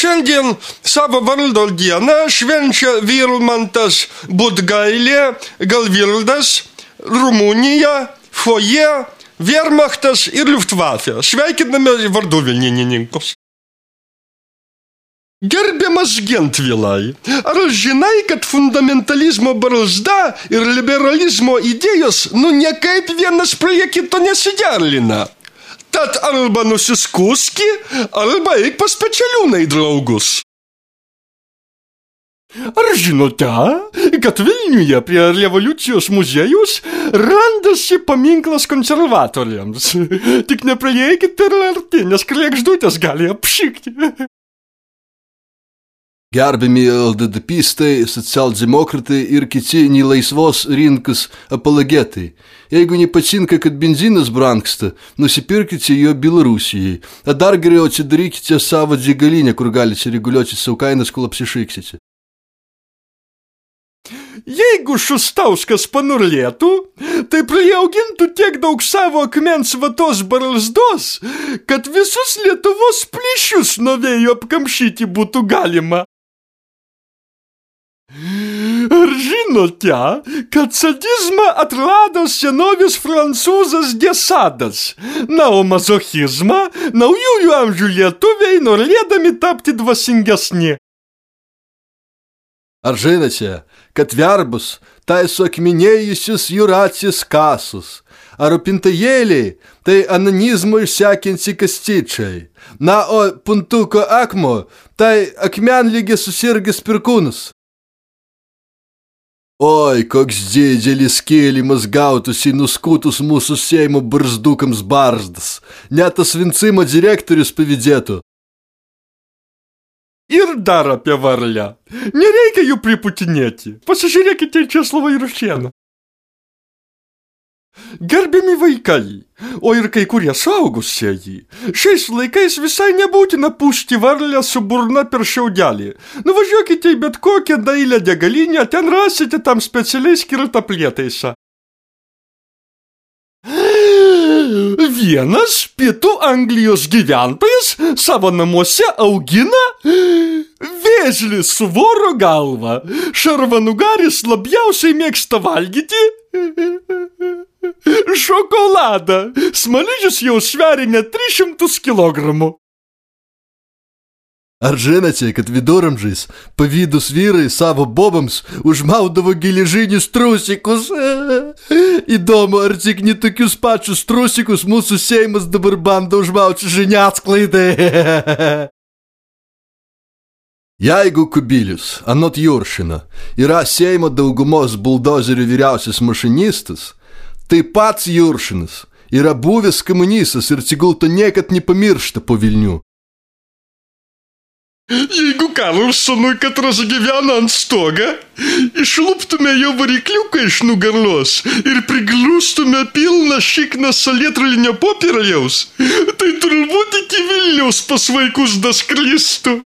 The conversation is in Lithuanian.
Šiandien savo vardo dieną švenčia Vilmantas Budgailė, Galvildas, Rumunija, Foje, Wehrmachtas ir Luftwaffe. Sveikiname vardų vilnininkus. Gerbiamas Gentvilai, ar žinai, kad fundamentalizmo barzda ir liberalizmo idėjos niekaip vienas prie kito nesiderlina? Tad arba nusiskuski, arba eik pas Pečeliūną į draugus. Ar žinote, kad Vilniuje prie Revoliucijos muziejaus randasi paminklas konservatoriams? Tik nepraeikit per arti, nes kregždutės gali apšikti. Gerbiami LDDPistai, socialdemokratai ir kiti nelaisvos rinkos apologetai. Jeigu nepatinka, kad benzinas brangsta, nusipirkite jo Bielorusijai. A dar geriau atsidarykite savo degalinę, kur galite reguliuoti savo kainas, kol apsišaiksite. Jeigu Šustauskas panurlėtų, tai priaugintų tiek daug savo akmens vatos barzdos, kad visus Lietuvos plyšius nuo vėjo apkamšyti būtų galima. Ar žinote, kad sadizmą atrado senovės prancūzas Desadas, na o mazochizmą naujųjų amžių lietuviai norėdami tapti dvasingesni? Ar žinote, kad verbus tai suakmenėjusius jūratės kasus, a rūpintojėliai tai anonizmo išsekinsi kastyčiai, na o puntuko akmo tai akmenlygės susirgęs pirkūnus. Oi, koks didelis kėlimas gautųsi nuskutus mūsų Seimo barzdukams barzdas, net tas Vincimo direktorius pavydėtų. Ir dar apie varlę. Nereikia jų priputinėti. Pasižiūrėkite į Česlovą Juršėną. Gerbiami vaikai, o ir kai kurie suaugusieji, šiais laikais visai nebūtina pūsti varlę su burna per šiaudelį. Nuvažiuokite į bet kokią dailią degalinę, ten rasite tam specialiai skirtą prietaisą. Vienas pietų Anglijos gyventojas savo namuose augina vėžlį su voro galva. Šarvanugaris labiausiai mėgsta valgyti šokoladą. Smaližius jau sveria net 300 kilogramų. Ar žinote, kad viduramžiais pavydūs vyrai savo bobams užmaudavo geležinius trusikus? Įdomu, ar tik ne tokius pačius trusikus mūsų Seimas dabar bando užmauti žiniasklaidai? Jeigu Kubilius, anot Juršino, yra Seimo daugumos buldozerių vyriausias mašinistas, tai pats Juršinas yra buvęs komunistas ir tegul to niekad nepamiršta po Vilnių. Jeigu Karlsonui katras gyvena ant stoga, išluptume jo varikliuką iš nugarlos ir priglustume pilną šikną salietralinio popieriaus, tai turbūt iki Vilniaus pas vaikus daskristų.